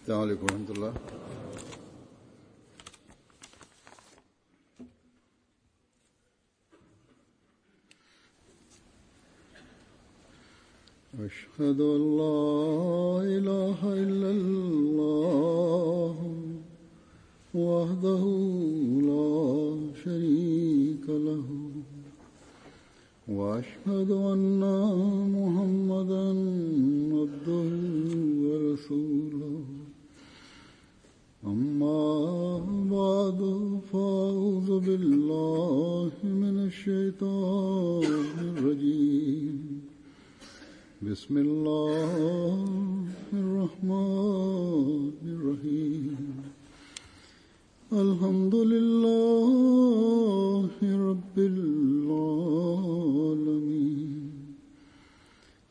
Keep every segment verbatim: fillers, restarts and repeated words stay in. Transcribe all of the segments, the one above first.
السلام عليكم ورحمة الله. أشهد أن لا إله إلا الله وحده لا شريك له وأشهد أن محمدا عبده ورسوله أما بعد فأعوذ بالله من الشيطان الرجيم بسم الله الرحمن الرحيم الحمد لله رب العالمين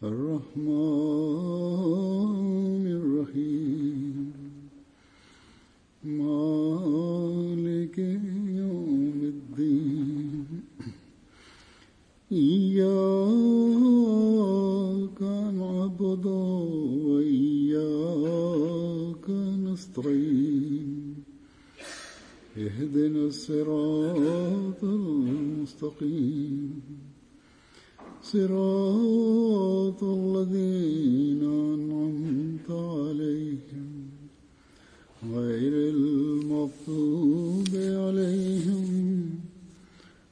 الرحمن الرحيم مالك يوم الدين إياك نعبد وإياك نستعين اهدنا الصراط المستقيم صراط الذين أنعمت عليهم غير المغضوب عليهم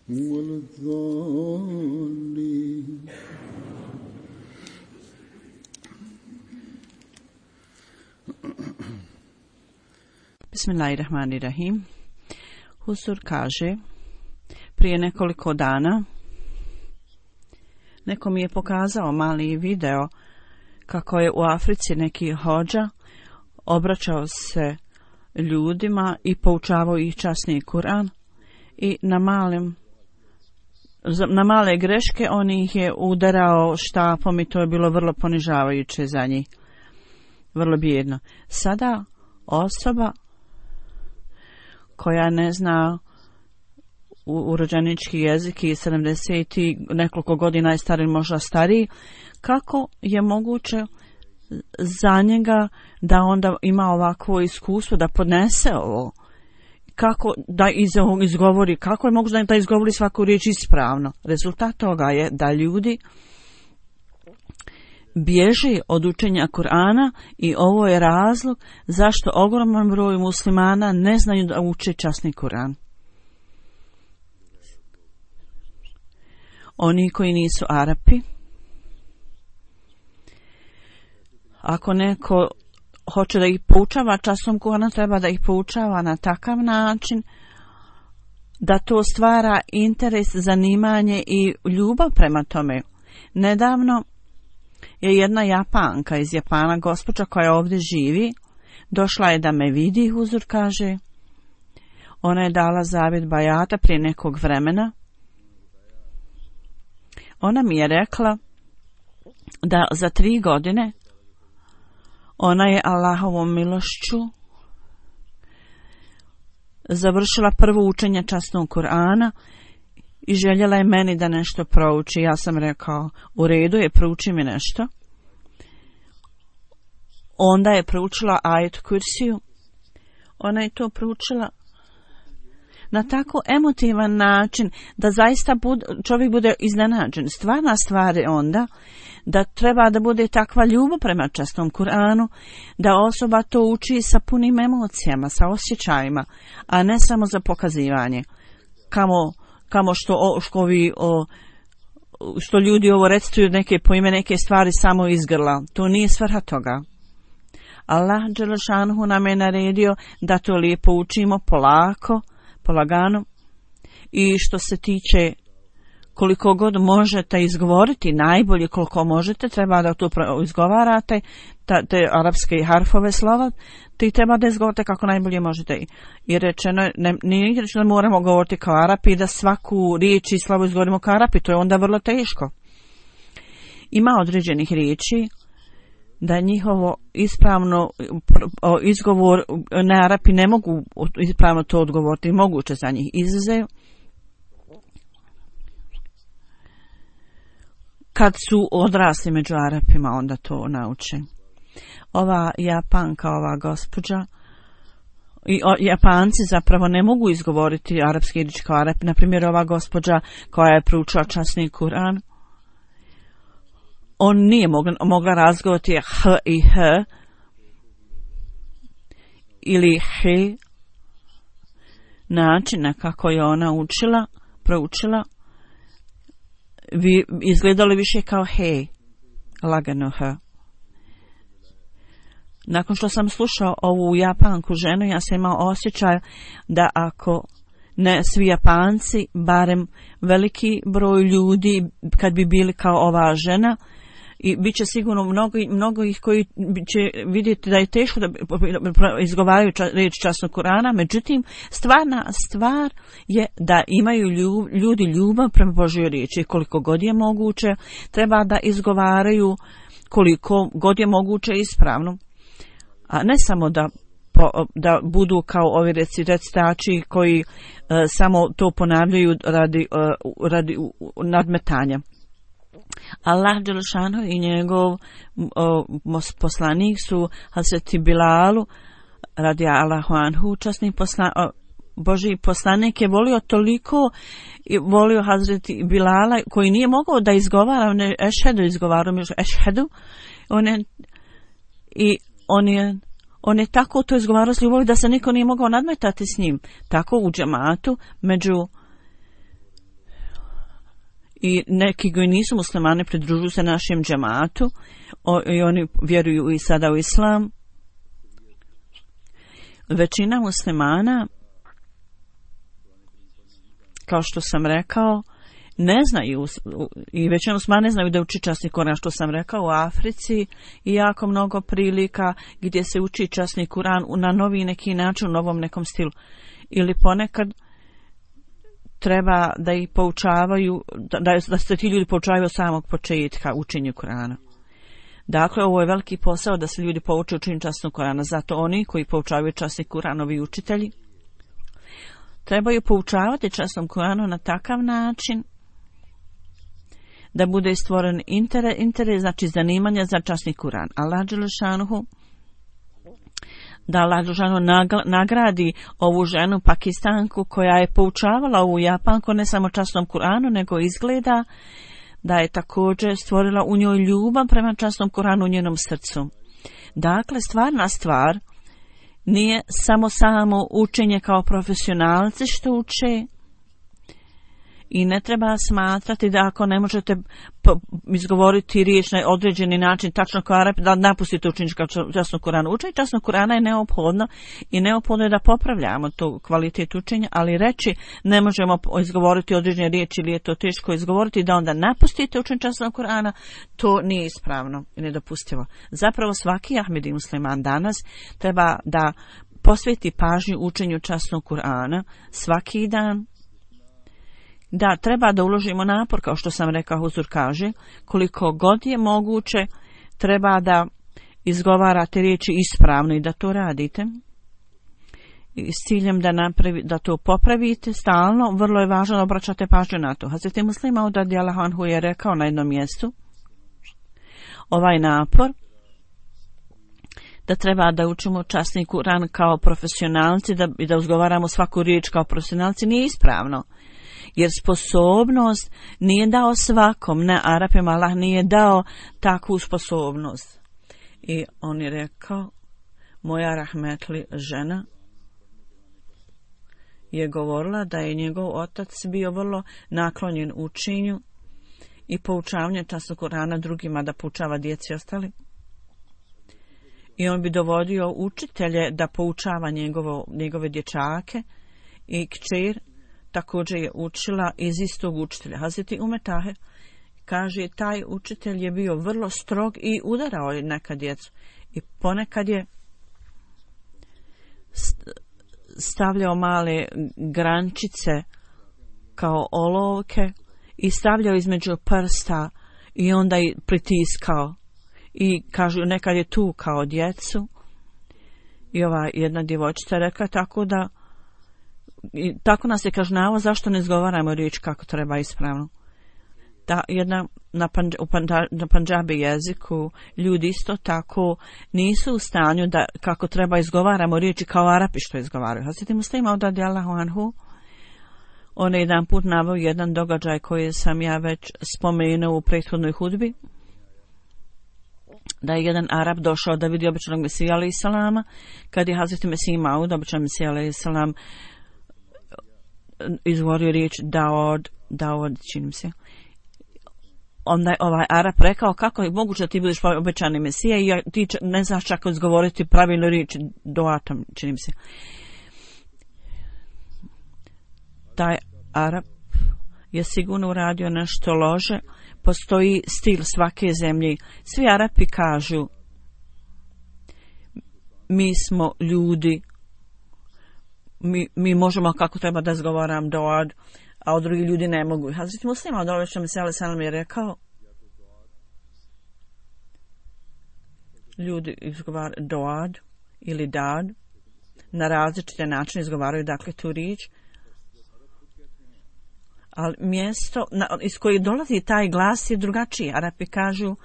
ولا الضالين. Bismillahirrahmanirrahim. Husur kaže, prije nekoliko dana neko mi je pokazao mali video kako je u Africi neki hodža obraćao se ljudima i poučavao ih časni Kur'an i na malim na male greške on ih je udarao štapom i to je bilo vrlo ponižavajuće za njih, vrlo bijedno. Sada osoba koja ne zna urođenički jezik i sedamdeset i nekoliko godina je stariji, možda stariji, kako je moguće za njega da onda ima ovakvo iskustvo, da podnese ovo, kako da iz ovog izgovori, kako je moguće da izgovori svaku riječ ispravno. Rezultat toga je da ljudi bježe od učenja Kur'ana i ovo je razlog zašto ogroman broj muslimana ne znaju da uče časni Kur'an. Oni koji nisu Arapi, ako neko hoće da ih poučava časnom Kur'ana, treba da ih poučava na takav način da to stvara interes, zanimanje i ljubav prema tome. Nedavno je jedna Japanka iz Japana, gospođa koja ovdje živi, došla je da me vidi, Huzur kaže. Ona je dala zavjet bajata prije nekog vremena. Ona mi je rekla da za tri godine ona je Allahovom milošću završila prvo učenje časnog Kur'ana i željela je meni da nešto prouči. Ja sam rekao, u redu je, prouči mi nešto. Onda je proučila ajet Kursiju. Ona je to proučila na tako emotivan način da zaista bud, čovjek bude iznenađen. Stvarna stvar je onda da treba da bude takva ljubav prema časnom Kur'anu, da osoba to uči sa punim emocijama, sa osjećajima, a ne samo za pokazivanje. Kamo, kamo što, što, ovi, o, što ljudi ovo recituju neke pojme, neke stvari samo iz grla. To nije svrha toga. Allah dželešanhu nam je naredio da to lijepo učimo polako, polagano, i što se tiče koliko god možete izgovoriti, najbolje koliko možete, treba da to izgovarate, ta, te arapske harfove slova, ti treba da izgovorite kako najbolje možete. I rečeno, ne, nije rečeno da moramo govoriti kao Arapi, da svaku riječ i slavu izgovorimo kao Arapi, to je onda vrlo teško. Ima određenih riječi da njihovo ispravno izgovor na Arapi ne mogu ispravno to odgovoriti, moguće za njih izuzev kad su odrasli među Arapima, onda to nauče. Ova Japanka, ova gospođa, i o, Japanci zapravo ne mogu izgovoriti arapski riječ kao Arap. Na primjer, ova gospođa koja je proučila časni Kur'an, on nije mogla, mogla razgovoriti h i h ili he, način na kako je ona učila, proučila, vi, izgledalo više kao he, lagano h. Nakon što sam slušao ovu Japanku ženu, ja sam imao osjećaj da ako ne svi Japanci, barem veliki broj ljudi, kad bi bili kao ova žena, i bit će sigurno mnogo, mnogo ih koji će vidjeti da je teško da izgovaraju ča, riječ časnog Kurana, međutim, stvarna stvar je da imaju ljub, ljudi ljubav prema Božjoj riječi. Koliko god je moguće, treba da izgovaraju koliko god je moguće ispravno. A ne samo da, po, da budu kao ovi recitači koji uh, samo to ponavljaju radi, uh, radi uh, nadmetanja. Allah dželešanu i njegov uh, poslanik su Hazreti Bilalu radi Allahu anhu, časni posla, uh, Božji poslanik je volio toliko i volio Hazreti Bilala koji nije mogao da izgovara, on je ešhedu izgovarao, ešhedu, on je i on je On je tako to izgovarao s ljubavi da se niko nije mogao nadmetati s njim. Tako u džematu, među i neki koji nisu muslimani pridružuju se našem džematu o, i oni vjeruju i sada u islam. Većina muslimana, kao što sam rekao, ne znaju, i većina muslimana ne znaju da uči časni Kur'an, što sam rekao, u Africi i jako mnogo prilika gdje se uči časni Kur'an na novi neki način, u novom nekom stilu. Ili ponekad treba da ih poučavaju, da, da se ti ljudi poučavaju od samog početka učenju Kur'ana. Dakle, ovo je veliki posao da se ljudi pouče učenju časnog Kur'ana, zato oni koji poučavaju časni Kur'an, ovi učitelji, trebaju poučavati časnom Kur'anu na takav način da bude stvoren interes, interes znači zanimanja za časni Kur'an. Allah dželešanuhu, da Allah dželešanuhu nagradi ovu ženu Pakistanku koja je poučavala ovu Japanku ne samo časnom Kur'anu, nego izgleda da je također stvorila u njoj ljubav prema časnom Kur'anu u njenom srcu. Dakle, stvarna stvar nije samo samo učenje kao profesionalci što uče, i ne treba smatrati da ako ne možete izgovoriti riječ na određeni način, tačno kao Arap, da napustite učenje kao časnog Kur'ana. Učenje časnog Kur'ana je neophodno i neophodno je da popravljamo tu kvalitetu učenja, ali reći ne možemo izgovoriti određene riječi ili je to teško izgovoriti, da onda napustite učenje časnog Kur'ana, to nije ispravno i nedopustivo. Zapravo svaki Ahmedi musliman danas treba da posveti pažnju učenju časnog Kur'ana svaki dan. Da, treba da uložimo napor, kao što sam rekao, Huzur kaže, koliko god je moguće, treba da izgovarate riječi ispravno i da to radite. I s ciljem da, napravi, da to popravite stalno, vrlo je važno da obraćate pažnju na to. Hazreti Muslim Maud radijallahu anhu je rekao na jednom mjestu, ovaj napor, da treba da učimo časni Kur'an kao profesionalci da, i da izgovaramo svaku riječ kao profesionalci, nije ispravno. Jer sposobnost nije dao svakom, ne Arapima, Allah nije dao takvu sposobnost. I on je rekao, moja rahmetli žena je govorila da je njegov otac bio vrlo naklonjen učenju i poučavanju časnog Kur'ana drugima, da poučava djeci ostali. I on bi dovodio učitelje da poučava njegovo, njegove dječake i kćer također je učila iz istog učitelja. Hazreti Umer Taher kaže, taj učitelj je bio vrlo strog i udarao je neka djecu. I ponekad je stavljao male grančice kao olovke i stavljao između prsta i onda i pritiskao. I kažu, nekad je tu kao djecu. I ova jedna djevojčica rekla tako da i tako nas je kažnjavao zašto ne izgovaramo riječ kako treba ispravno. Da jedna na, panđ, u panda, na pandžabi jeziku ljudi isto tako nisu u stanju da kako treba izgovaramo riječi kao Arapi što izgovaraju. Hazreti Muslima radijallahu anhu, on je jedan put naveo jedan događaj koji sam ja već spomenuo u prethodnoj hudbi, da je jedan Arab došao da vidi običanog Mesija alejhi selama, kad je Hazreti Mesih Maud, običan Mesija alejhi selam, izgovorio riječ Daod, Daod, činim se. Onda je ovaj Arab rekao, kako je moguće da ti budeš obećani Mesija i ti ne znaš čak izgovoriti pravilno riječ Doatom, činim se. Taj Arab je sigurno uradio nešto loše. Postoji stil svake zemlje. Svi Arapi kažu, mi smo ljudi, mi, mi možemo kako treba da izgovaram Doad, a drugi ljudi ne mogu. Hazreti Muslima odolešao Mesija alejhi selam je rekao, ljudi izgovaraju Doad ili Dad, na različite načine izgovaraju dakle tu riječ, ali mjesto na, iz koje dolazi taj glas je drugačiji. Arapi kažu,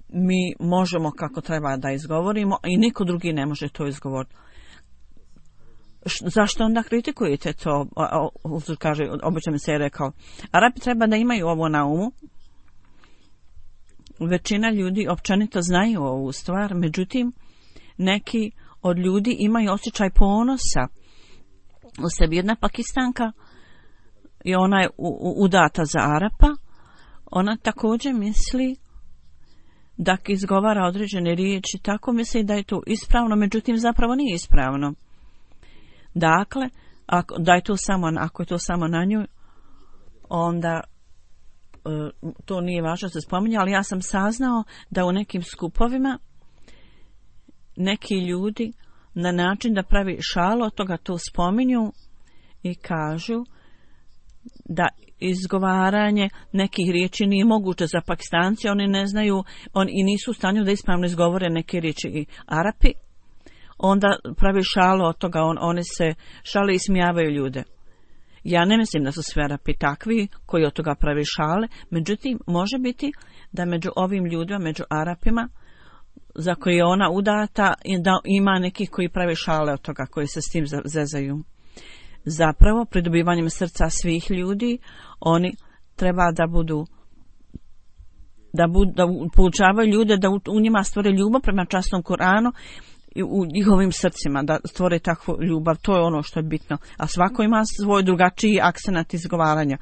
mi možemo kako treba da izgovorimo i niko drugi ne može to izgovoriti. Š, zašto onda kritikujete to? Uzur kaže, obično mi se je rekao, Arapi treba da imaju ovo na umu. Većina ljudi općenito znaju ovu stvar, međutim, neki od ljudi imaju osjećaj ponosa u sebi. Jedna Pakistanka, i ona je udata za Arapa, ona također misli da izgovara određene riječi, tako misli da je to ispravno, međutim zapravo nije ispravno. Dakle, ako, da je to samo, ako je to samo na nju, onda e, to nije važno se spominje, ali ja sam saznao da u nekim skupovima neki ljudi na način da pravi šalu od toga to spominju i kažu da izgovaranje nekih riječi nije moguće za Pakistanci, oni ne znaju, oni i nisu u stanju da ispravno izgovore neke riječi i Arapi, onda pravi šalu od toga, on, oni se šale i smijavaju ljude. Ja ne mislim da su sve Arapi takvi koji od toga pravi šale, međutim može biti da među ovim ljudima, među Arapima, za koje je ona udata, da ima nekih koji pravi šale od toga, koji se s tim zezaju. Zapravo, pridobivanjem srca svih ljudi, oni treba da budu, da, budu, da poučavaju ljude, da u, u njima stvore ljubav prema časnom Kuranu i u njihovim srcima, da stvore takvu ljubav, to je ono što je bitno. A svako ima svoj drugačiji akcenat izgovaranja.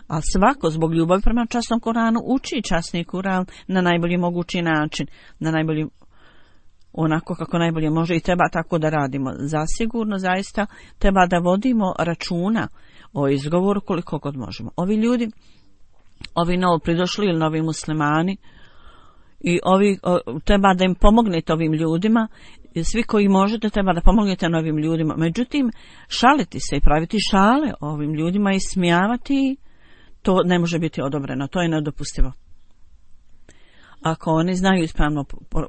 A svako zbog ljubavi prema časnom Kuranu uči časni Kuran na najbolji mogući način, na najbolji onako kako najbolje može i treba tako da radimo. Zasigurno, zaista, treba da vodimo računa o izgovoru koliko god možemo. Ovi ljudi, ovi novo pridošli ili novi muslimani, i ovi, o, treba da im pomognete ovim ljudima, svi koji možete treba da pomognete novim ljudima. Međutim, šaliti se i praviti šale ovim ljudima i smijavati, to ne može biti odobreno, to je nedopustivo. Ako oni znaju ispravno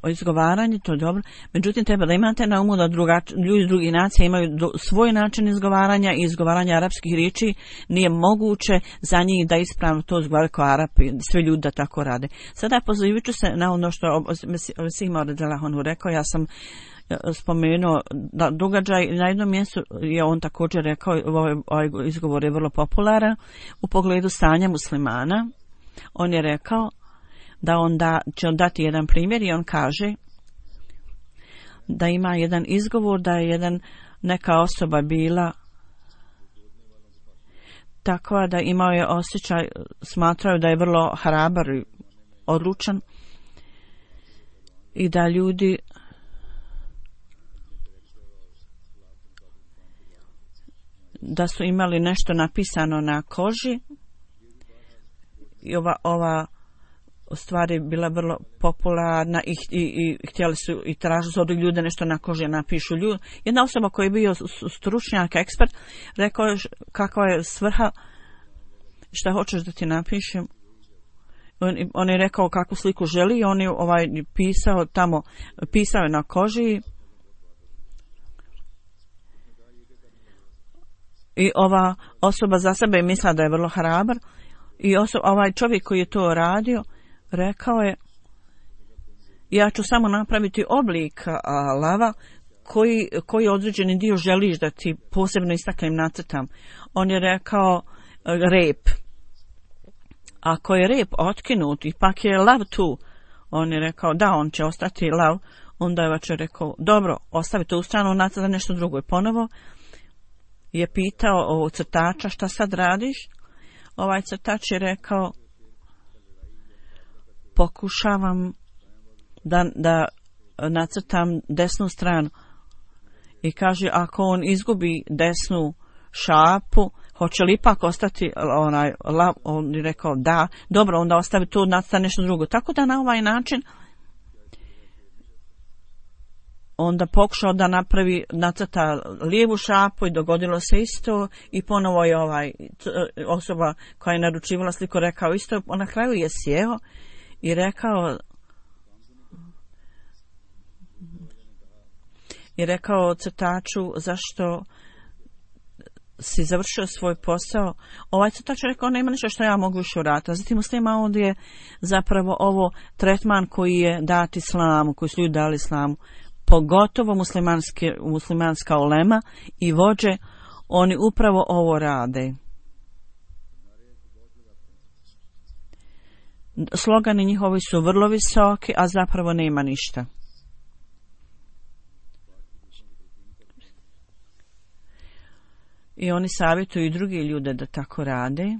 izgovaranje, to je dobro. Međutim, treba da imate na umu da drugač, ljudi drugih nacija imaju do, svoj način izgovaranja i izgovaranja arapskih riječi. Nije moguće za njih da ispravno to izgovaraju kao Arapi, sve ljudi da tako rade. Sada pozivat ću se na ono što je Sima radijallahu rekao. Ja sam spomenuo da događaj na jednom mjestu je on također rekao, ovaj, ovaj izgovor je vrlo popularan u pogledu stanja muslimana. On je rekao da on da, će on dati jedan primjer i on kaže da ima jedan izgovor da je jedan, neka osoba bila takva da imao je osjećaj, smatraju da je vrlo hrabar i odlučan i da ljudi da su imali nešto napisano na koži i ova, ova stvari bila vrlo popularna i, i, i htjeli su i tražili su od ljude nešto na koži napišu ljudi. Jedna osoba koja je bio stručnjak, ekspert, rekao je kakva je svrha, šta hoćeš da ti napišem. On, on je rekao kakvu sliku želi i on je ovaj, pisao tamo, pisao je na koži i ova osoba za sebe je mislila da je vrlo hrabar I oso, ovaj čovjek koji je to radio, rekao je, ja ću samo napraviti oblik a, lava koji, koji određeni dio želiš da ti posebno istaknem, nacrtam. On je rekao rep. Ako je rep otkinut i pak je lav tu, on je rekao da, on će ostati lav. Onda je vače rekao, dobro, ostavi to u stranu, nacrta nešto drugo. I ponovo je pitao ovog crtača, šta sad radiš? Ovaj crtač je rekao, pokušavam da, da nacrtam desnu stranu. I kaže, ako on izgubi desnu šapu, hoće li ipak ostati onaj lav? On je rekao, da, dobro, onda ostavi tu, nacrta nešto drugo. Tako da na ovaj način onda pokušao da napravi, nacrta lijevu šapu i dogodilo se isto i ponovo je ovaj osoba koja je naručivala sliku rekao isto, na kraju je sjeo i rekao i rekao crtaču, zašto si završio svoj posao. Ovaj crtač je rekao, nema ništa što ja mogu još uraditi. Zatim muslima ovdje je zapravo ovo tretman koji je dat islamu, koji su ljudi dali islamu, pogotovo muslimanske, muslimanska ulema i vođe, oni upravo ovo rade. Slogani njihovi su vrlo visoki, a zapravo nema ništa. I oni savjetuju i drugi ljude da tako rade.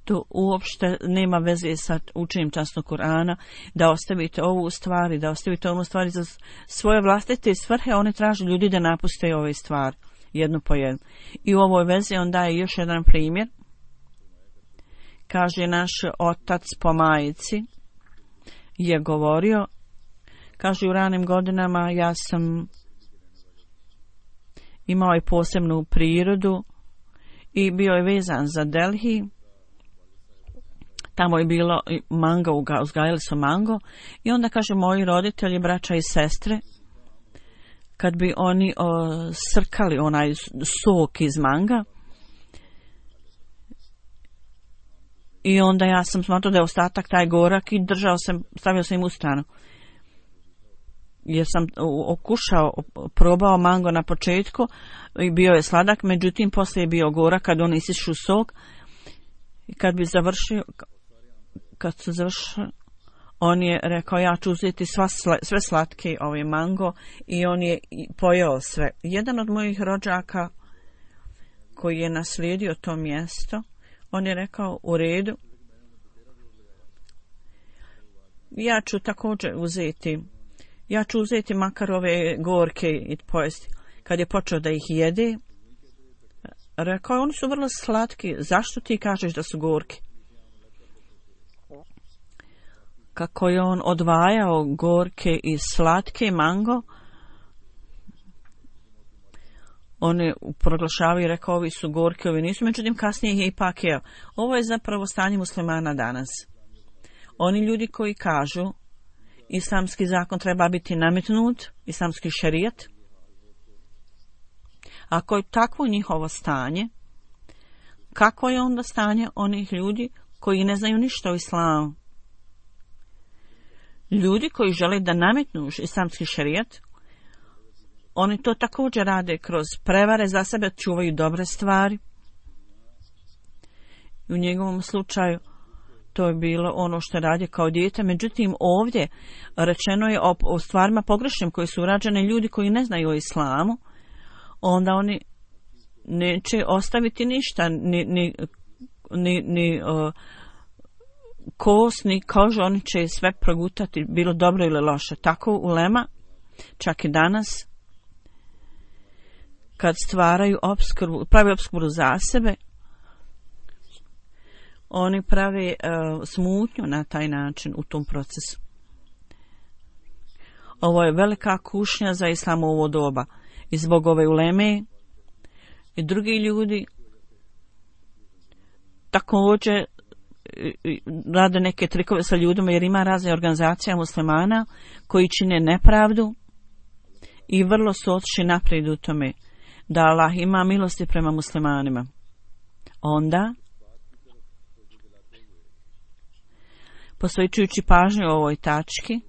To uopšte nema veze sa učenjem časnog Kur'ana, da ostavite ovu stvari, da ostavite ovu stvari za svoje vlastite svrhe, one traže ljudi da napuste ove stvari, jednu po jednu. I u ovoj vezi on daje još jedan primjer. Kaže, naš otac po majici je govorio, kaže, u ranim godinama ja sam imao i posebnu prirodu i bio je vezan za Delhi. Tamo je bilo mango, uzgajali su mango i onda kaže moji roditelji, braća i sestre, kad bi oni o, srkali onaj sok iz manga i onda ja sam smatrao da je ostatak taj gorak i držao sam, stavio sam im u stranu. Jer sam okušao, probao mango na početku i bio je sladak, međutim poslije je bio gorak kad oni isišu sok i kad bi završio, kad se završio, on je rekao ja ću uzeti sva, sve slatke ove mango i on je pojeo sve. Jedan od mojih rođaka koji je naslijedio to mjesto, on je rekao u redu, ja ću također uzeti ja ću uzeti makar ove gorke i pojesti. Kad je počeo da ih jede, rekao je, oni su vrlo slatki, zašto ti kažeš da su gorki? Kako je on odvajao gorke i slatke mango, on je proglašavao i rekao, ovi su gorki, ovi nisu, međutim kasnije ih je ipak jeo. Ovo je zapravo stanje muslimana danas. Oni ljudi koji kažu, islamski zakon treba biti nametnut, islamski šerijat. Ako je takvo njihovo stanje, kako je onda stanje onih ljudi koji ne znaju ništa o islamu? Ljudi koji žele da nametnu islamski šerijat, oni to također rade kroz prevare, za sebe čuvaju dobre stvari. U njegovom slučaju to je bilo ono što radi kao dijete, međutim ovdje rečeno je o, o stvarima pogrešnim koji su urađene ljudi koji ne znaju o islamu, onda oni neće ostaviti ništa, ni, ni, ni, ni uh, kost, ni kožu, oni će sve progutati, bilo dobro ili loše. Tako ulema, čak i danas, kad stvaraju opskrbu, pravi opskrbu za sebe, oni prave uh, smutnju na taj način u tom procesu. Ovo je velika kušnja za islam u ovo doba. I zbog ove uleme i drugi ljudi također rade neke trikove sa ljudima, jer ima razne organizacija muslimana koji čine nepravdu i vrlo su otišli naprijed u tome da Allah ima milosti prema muslimanima. onda posvećujući pažnju ovoj tački,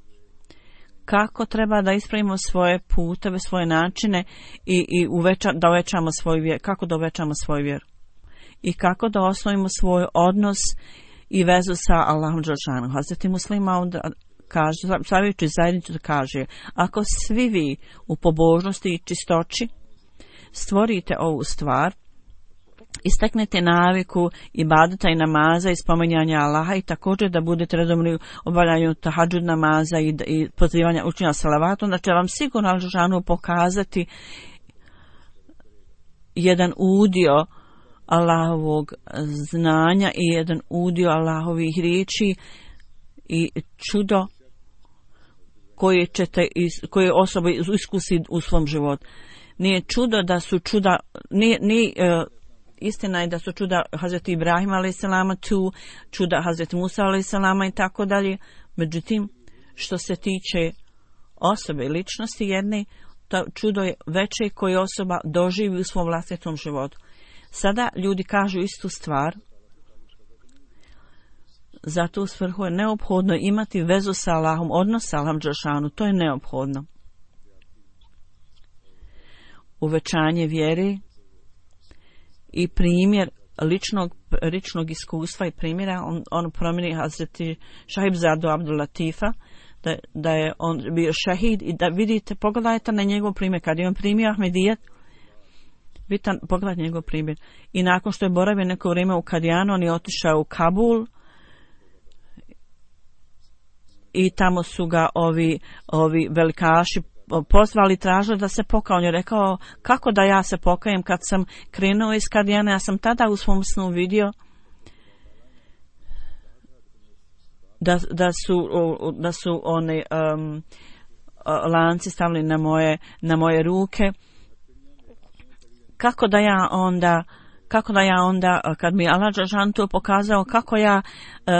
kako treba da ispravimo svoje puteve, svoje načine i, i uveća, da uvećamo svoj vjer, kako da uvećamo svoj vjer i kako da osnovimo svoj odnos i vezu sa Allahom dželešanu. Hazreti Muslima onda kaže, savjetujući zajednicu da kaže, ako svi vi u pobožnosti i čistoći stvorite ovu stvar, istaknete naviku ibadeta i namaza i spominjanja Allaha i također da budete redovni u obavljanju tahadžud namaza i, i pozivanja učenja salavata, onda će vam sigurno Al-Dželešanu pokazati jedan udio Allahovog znanja i jedan udio Allahovih riječi i čudo koje ćete koje osoba iskusi u svom životu. Nije čudo da su čuda, nije, nije uh, istina je da su čuda Hazreti Ibrahima alejselama tu, čuda Hazreti Musa alejselama i tako dalje. Međutim, što se tiče osobe i ličnosti jedne, to čudo je veće koje osoba doživi u svom vlastitom životu. Sada ljudi kažu istu stvar. Zato u svrhu je neophodno imati vezu sa Allahom, odnos sa Allahom dželešanu, to je neophodno. Uvećanje vjere i primjer ličnog, ličnog iskustva i primjera, on, on promjeni Hazreti Šahibzadu Abdul Latifa, da, da je on bio šehid i da vidite, pogledajte na njegov primjer, kad je on primio Ahmedijet, vidite, pogledajte njegov primjer. I nakon što je boravio neko vrijeme u Kadijanu, on je otišao u Kabul i tamo su ga ovi, ovi velikaši pozvali, tražili da se pokaje. On je rekao, kako da ja se pokajem kad sam krenuo iz Kadijana, ja sam tada u svom snu vidio da, da su, da su one um, lanci stavili na moje, na moje ruke. Kako da ja onda kako da ja onda, kad mi Allah dželešanu to pokazao, kako ja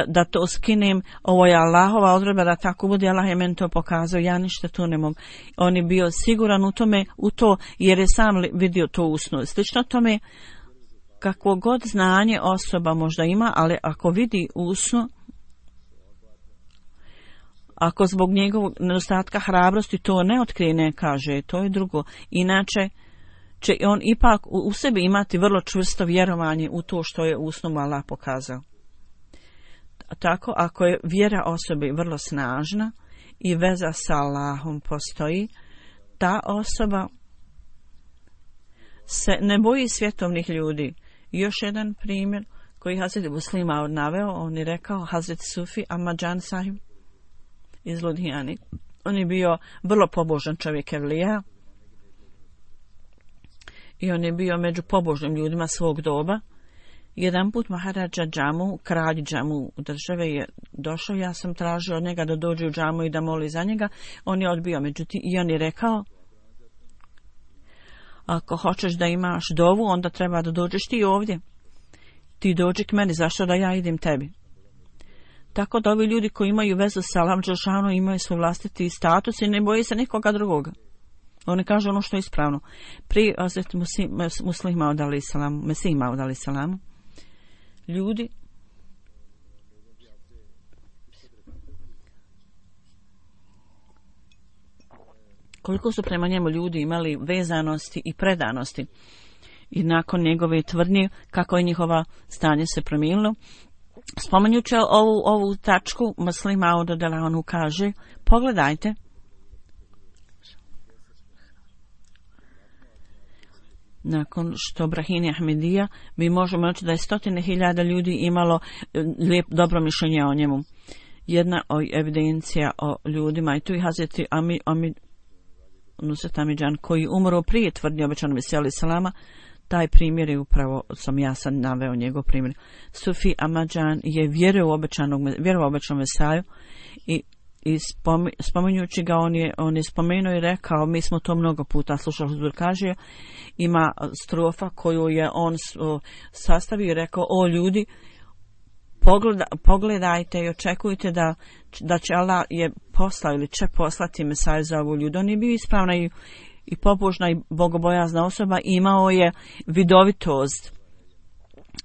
da to skinem, ovo je Allahova odredba da tako bude, Allah je meni to pokazao, ja ništa tu ne mogu. On je bio siguran u tome, u to, jer je sam vidio to u snu. Slično tome, kakvo god znanje osoba možda ima, ali ako vidi u snu, ako zbog njegovog nedostatka hrabrosti to ne otkrije, ne kaže, to je drugo. Inače, će on ipak u sebi imati vrlo čvrsto vjerovanje u to što je u snu Allah pokazao. Tako, ako je vjera osobe vrlo snažna i veza sa Allahom postoji, ta osoba se ne boji svjetovnih ljudi. Još jedan primjer koji Hazreti Muslima naveo, on je rekao, Hazreti Sufi Ahmad Sahib iz Ludhijani. On je bio vrlo pobožan čovjek evlija i on je bio među pobožnim ljudima svog doba. Jedan put Maharadža Džamu, kralj Džamu države, je došao, ja sam tražio od njega da dođe u džamu i da moli za njega. On je odbio, međutim, i on je rekao, ako hoćeš da imaš dovu, onda treba da dođeš ti ovdje. Ti dođi k meni, zašto da ja idem tebi? Tako da ovi ljudi koji imaju vezu sa Allahom dželešanu imaju svoj vlastiti status i ne boji se nikoga drugoga. Oni kažu ono što je ispravno. Prije Hazreti Muslima odali salamu, Mesima odali salamu, ljudi koliko su prema njemu ljudi imali vezanosti i predanosti i nakon njegove tvrdnje kako je njihova stanje se promijenilo. Spomenjući ovu, ovu tačku, Muslima odala onu kaže, pogledajte, nakon što Brahini Ahmedija, mi možemo reći da je stotine hiljada ljudi imalo lijep, dobro mišljenje o njemu. Jedna od evidencija o ljudima, i tu i Hazreti Ami, Ami, Nusret Amidžan, koji umro prije tvrdnje obećanog Mesija alejhi selama, taj primjer je upravo, sam ja sad naveo njegov primjer. Sufi Ahmadžan je vjerovao u obećanog, vjerovao u obećanog Mesiju i I spominjući ga, on je, on je spomenuo i rekao, mi smo to mnogo puta slušali, Huzur kaže, ima strofa koju je on sastavio i rekao, o ljudi, pogleda, pogledajte i očekujte da, da će Allah je poslao ili će poslati Mesaju za ovu ljudu. On je bio ispravna i, i pobožna i bogobojazna osoba, imao je vidovitost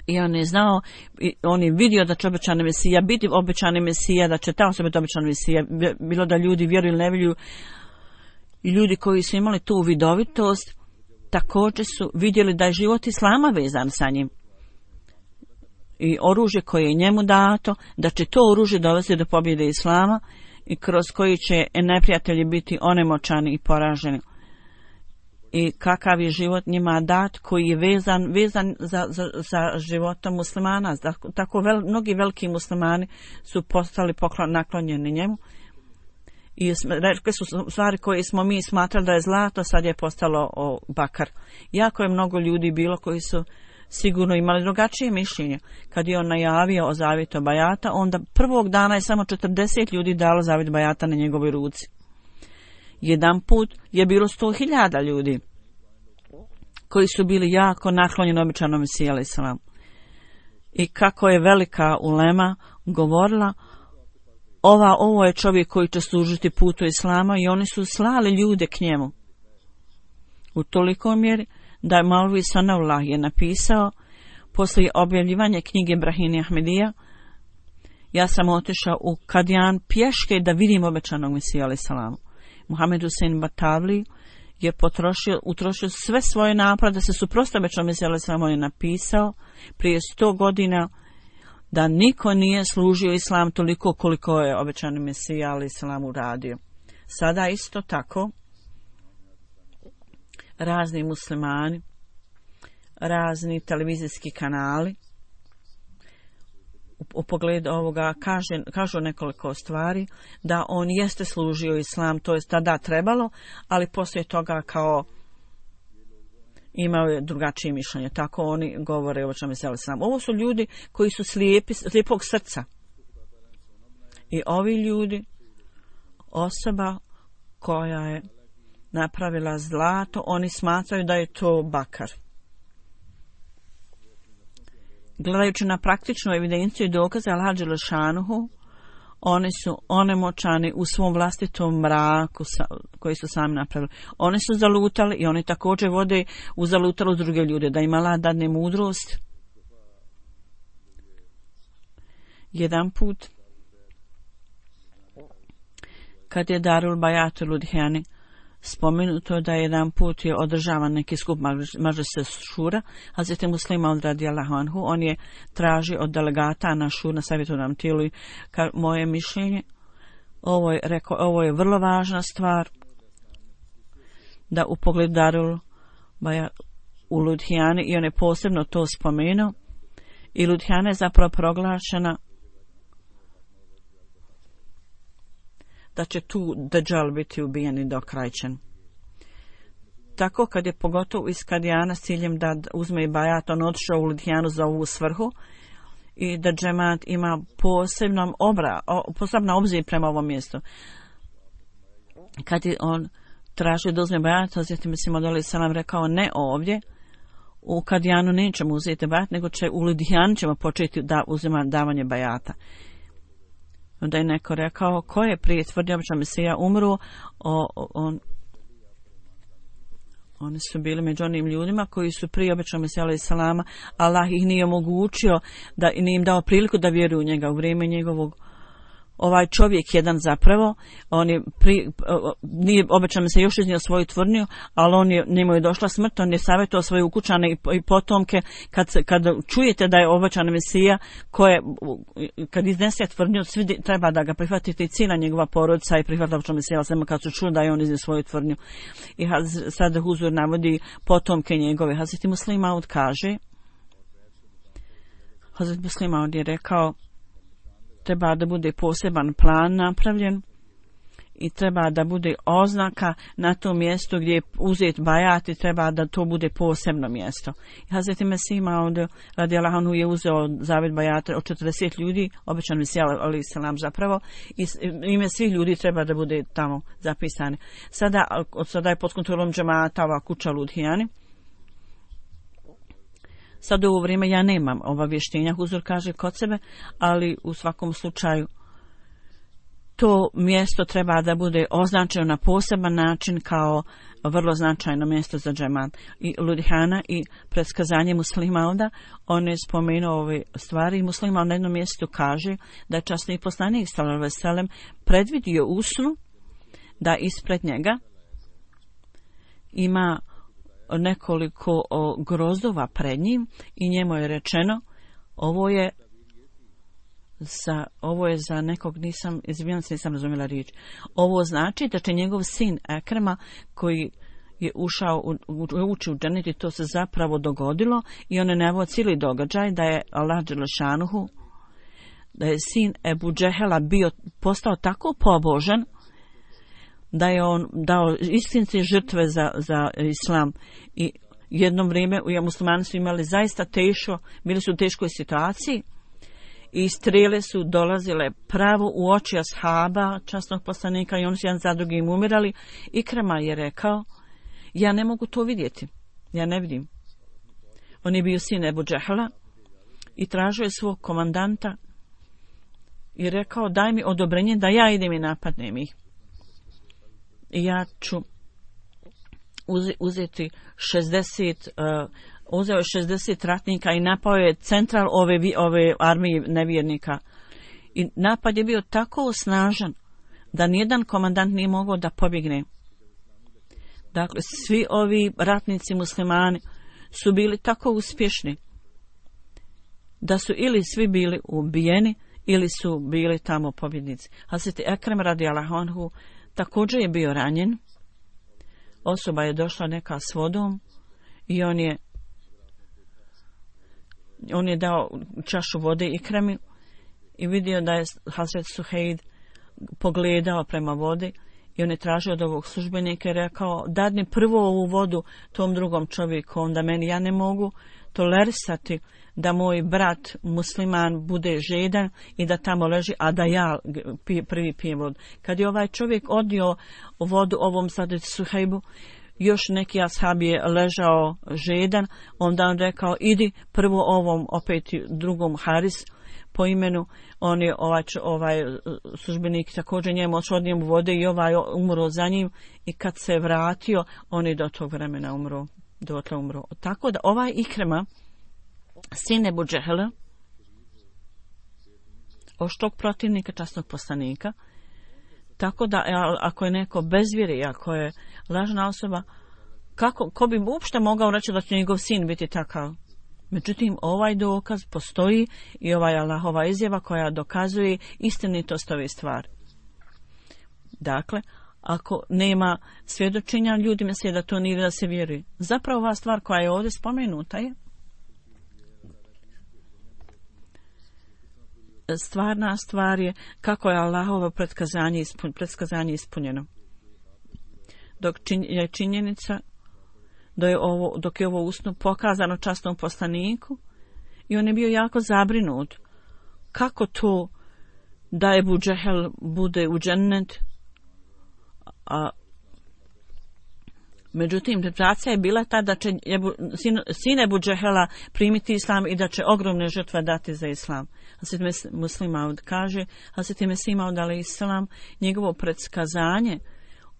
I on je znao, on je vidio da će obećani Mesija biti obećani Mesija, da će ta osoba biti obećani Mesija, bilo da ljudi vjeruju ili ne vjeruju. I ljudi koji su imali tu vidovitost, također su vidjeli da je život Islama vezan sa njim. I oružje koje je njemu dato, da će to oružje dovesti do pobjede Islama i kroz koji će neprijatelji biti onemoćani i poraženi. I kakav je život njima dat koji je vezan, vezan za, za, za životom muslimana. Tako vel, mnogi veliki muslimani su postali poklon, naklonjeni njemu. I rekli su stvari koje smo mi smatrali da je zlato, sad je postalo o, bakar. Jako je mnogo ljudi bilo koji su sigurno imali drugačije mišljenje. Kad je on najavio o zavjetu bajata, onda prvog dana je samo četrdeset ljudi dalo zavjet bajata na njegovoj ruci. Jedan put je bilo sto hiljada ljudi koji su bili jako naklonjeni obećanom Mesiji alejhi selam. I kako je velika ulema govorila, ova, ovo je čovjek koji će služiti putu Islama, i oni su slali ljude k njemu. U toliko mjeri da je Maulvi Sanavullah je napisao poslije objavljivanja knjige Brahini Ahmedija, ja sam otišao u Kadijan pješke da vidim obećanog Mesiju alejhi selam. Muhammed Husein Batavli je potrošio, utrošio sve svoje napore da se suprotstavi obećanom Mesiju alejhi selam. On je napisao prije sto godina da niko nije služio Islam toliko koliko je obećani Mesija alejhi selam uradio. Sada isto tako razni muslimani, razni televizijski kanali u, u pogledu ovoga kaže, kažu nekoliko stvari, da on jeste služio Islam, to je tada trebalo, ali poslije toga kao imao je drugačije mišljenje. Tako oni govore o čemu se Islam. Ovo su ljudi koji su slijepi, slijepog srca. I ovi ljudi, osoba koja je napravila zlato, oni smatraju da je to bakar. Gledajući na praktičnu evidenciju i dokaze Allaha dželešanuhu, oni su onemoćani u svom vlastitom mraku koji su sami napravili. Oni su zalutali i oni također vode u zalutalo druge ljude, da im Allah dadne mudrost. Jedan put, kad je Darul Bajat u Ludhijani, spomenuto da jedan put je održavan neki skup Mažlise Šura, Hazreti Muslima od radijallahu anhu, on je tražio od delegata na šur, na savjetodavnom tijelu, i ka, moje mišljenje, ovo je, rekao, ovo je vrlo važna stvar, da u pogledu Darul Bajat u Ludhijani, i on je posebno to spomenuo, i Ludhijana je zapravo proglašena da će tu Dajjal biti ubijen i dokrajčen. Tako kad je pogotovo iz Kadijana s ciljem da uzme i bajat, on otišao u Ludhijanu za ovu svrhu i da džemat ima posebnom obra, posebna obzir prema ovom mjestu. Kad je on tražio da uzme bajat, Hazreti Mesih alejhi selam rekao ne ovdje, u Kadijanu nećemo uzeti bajat, nego će u Ludhijanu ćemo početi da uzima davanje bajata. Onda je neko rekao, ko je prije tvrdio obećani Mesija umro, o, o, on, oni su bili među onim ljudima koji su prije obećani Mesija alejhi selama, Allah ih nije omogućio, da nije im dao priliku da vjeruju u njega u vrijeme njegovog. Ovaj čovjek jedan zapravo, on je pri, nije obećan se još iznio svoju tvrdnju, ali on je, njemu je došla smrt, on je savjetovao svoje ukućane i, i potomke, kad, kad čujete da je obećan Mesija, koje, kad iznese tvrdnju, svi treba da ga prihvatite, i cijela njegova porodica i prihvatila obećan Mesija, samo kad su čuli da je on iznio svoju tvrdnju. I sad Huzur navodi potomke njegove. Hazreti Muslim Maud kaže, Hazreti Muslim Maud je rekao, treba da bude poseban plan napravljen i treba da bude oznaka na tom mjestu gdje je uzet bajat, i treba da to bude posebno mjesto. Hazreti Mesih Maud radijallahu anhu je uzeo zavjet bajata od četrdeset ljudi, obećan Mesija alejhi selam zapravo, i ime svih ljudi treba da bude tamo zapisane. Sada, od sada je pod kontrolom džemata ova kuća Ludhijani. Sad u ovo vrijeme ja nemam obavještenja, Huzur kaže kod sebe, ali u svakom slučaju to mjesto treba da bude označeno na poseban način kao vrlo značajno mjesto za džemat. I Ludihana i predskazanje Muslimalda, on je spomenuo ove stvari i Muslimal na jednom mjestu kaže da je časni poslanik sallallahu alejhi ve sellem predvidio u snu da ispred njega ima nekoliko o, grozdova pred njim i njemu je rečeno ovo je za, ovo je za nekog, nisam, izvinjam se, nisam razumjela riječ. Ovo znači da će njegov sin Ekrema koji je ušao u, u, uči u džennet i to se zapravo dogodilo i on je naveo cijeli događaj da je Allah dželešanuhu, da je sin Ebu Džehela bio, postao tako pobožan da je on dao istinske žrtve za, za islam i jedno vrijeme u muslimani su imali zaista teško, bili su u teškoj situaciji i strele su dolazile pravo u oči ashaba, časnog poslanika i oni su jedan za drugim umirali. Ikrama je rekao, ja ne mogu to vidjeti, ja ne vidim. On je bio sin Ebu Džehla i tražio je svog komandanta i rekao, daj mi odobrenje da ja idem i napadnem ih. I ja ću uzeti šezdeset, uh, uzeo je šezdeset ratnika i napao je central ove, ove armije nevjernika. I napad je bio tako snažan da nijedan komandant nije mogao da pobjegne. Dakle, svi ovi ratnici muslimani su bili tako uspješni da su ili svi bili ubijeni ili su bili tamo pobjednici. Hazreti Ekrem radijallahu anhu također je bio ranjen. Osoba je došla neka s vodom i on je on je dao čašu vode Ikremi i vidio da je Hazret Suheid pogledao prema vodi i on je tražio od ovog službenika i rekao, dadni prvo ovu vodu tom drugom čovjeku, onda meni, ja ne mogu tolerisati da moj brat musliman bude žedan i da tamo leži, a da ja prvi pijem vodu. Kad je ovaj čovjek odnio vodu ovom Hazret Suheibu, još neki ashab je ležao žedan, onda on rekao, idi prvo ovom, opet drugom Haris po imenu, on je ovaj, ovaj službenik također njemu odšao mu vode i ovaj umro za njim i kad se vratio, on je do tog vremena umro, dotle umro. Tako da ovaj Ikrema, sin Ebu Džehela, oštog protivnika časnog poslanika, tako da ako je neko bezvjeri, ako je lažna osoba, kako, ko bi uopšte mogao reći da će njegov sin biti takav? Međutim, ovaj dokaz postoji i ovaj Allahova izjava koja dokazuje istinitost ove stvari. Dakle, ako nema svjedočenja, ljudi misle da to nije da se vjeruje. Zapravo ova stvar koja je ovdje spomenuta je stvarna stvar je kako je Allahovo predskazanje, ispun, predskazanje ispunjeno. Dok čin, je činjenica da je ovo, dok je ovo usnu pokazano časnom poslaniku i on je bio jako zabrinut. Kako to da Ebu Džehel bude u džennet, a međutim, interpretacija je bila ta da će Ebu, sin, sin Ebu Džehela primiti islam i da će ogromne žrtve dati za islam. Hazreti Muslim Maud kaže, Hazreti Mesih Maud alejhi selam, njegovo predskazanje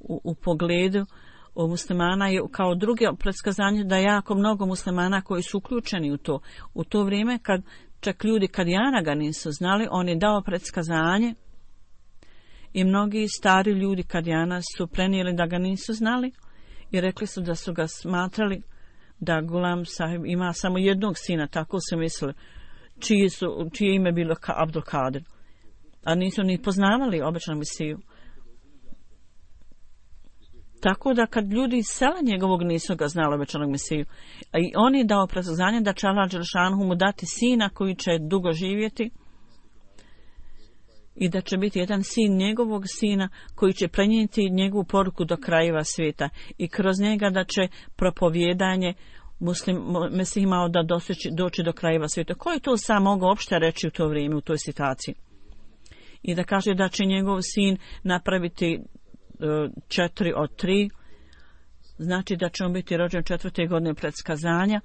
u, u pogledu u muslimana je kao druge predskazanje da jako mnogo muslimana koji su uključeni u to. U to vrijeme kad čak ljudi Kadijana ga nisu znali, on je dao predskazanje i mnogi stari ljudi Kadijana su prenijeli da ga nisu znali i rekli su da su ga smatrali da Gulam Sahib ima samo jednog sina, tako su mislili, čije, su, čije ime bilo ka Abdul Kadir, a nisu ni poznavali običnog Mesiju. Tako da kad ljudi iz sela njegovog nisu ga znali običnog Mesiju, a i on je dao predskazanje da će Allah dželešanuhu mu dati sina koji će dugo živjeti i da će biti jedan sin njegovog sina koji će prenijeti njegovu poruku do krajeva svijeta i kroz njega da će propovjedanje muslim, Mesih imao da doseći, doći do krajeva svijeta. Ko je to sam mogao opšte reći u to vrijeme, u toj situaciji? I da kaže da će njegov sin napraviti uh, četiri od tri, znači da će on biti rođen četvrte godine predskazanja.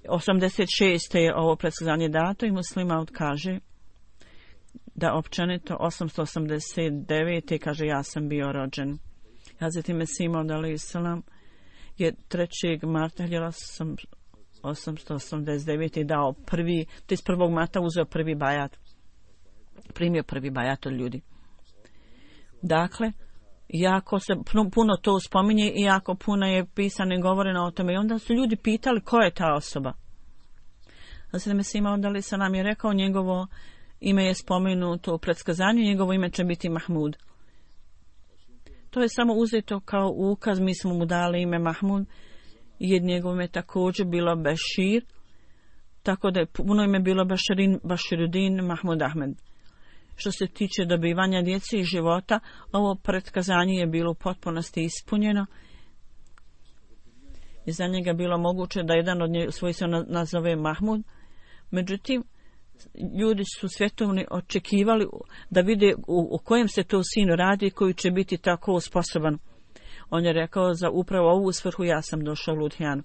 osamdeset šeste je ovo predskazanje dato i Muslim Maud kaže da općenito osamsto osamdeset devete kaže ja sam bio rođen. Hazreti Mesih Maud alejhi selam je trećeg marta osamsto osamdeset devete dao prvi, to iz prvog marta uzeo prvi bajat. Primio prvi bajat od ljudi. Dakle, jako se puno to spominje i jako puno je pisano i govoreno o tome. I onda su ljudi pitali ko je ta osoba. Hazreti Mesih Maud alejhi selam je rekao njegovo ime je spomenuto u predskazanju, njegovo ime će biti Mahmud. To je samo uzeto kao ukaz, mi smo mu dali ime Mahmud, jer njegovo ime također bilo Bešir, tako da je puno ime bilo Beširin, Beširuddin Mahmud Ahmed. Što se tiče dobivanja djece i života, ovo predskazanje je bilo u potpunosti ispunjeno i za njega bilo moguće da jedan od svojih se nazove Mahmud. Međutim, ljudi su svjetovni očekivali da vide u, u kojem se to sinu radi koji će biti tako sposoban. On je rekao za upravo ovu svrhu ja sam došao u Ludhijanu.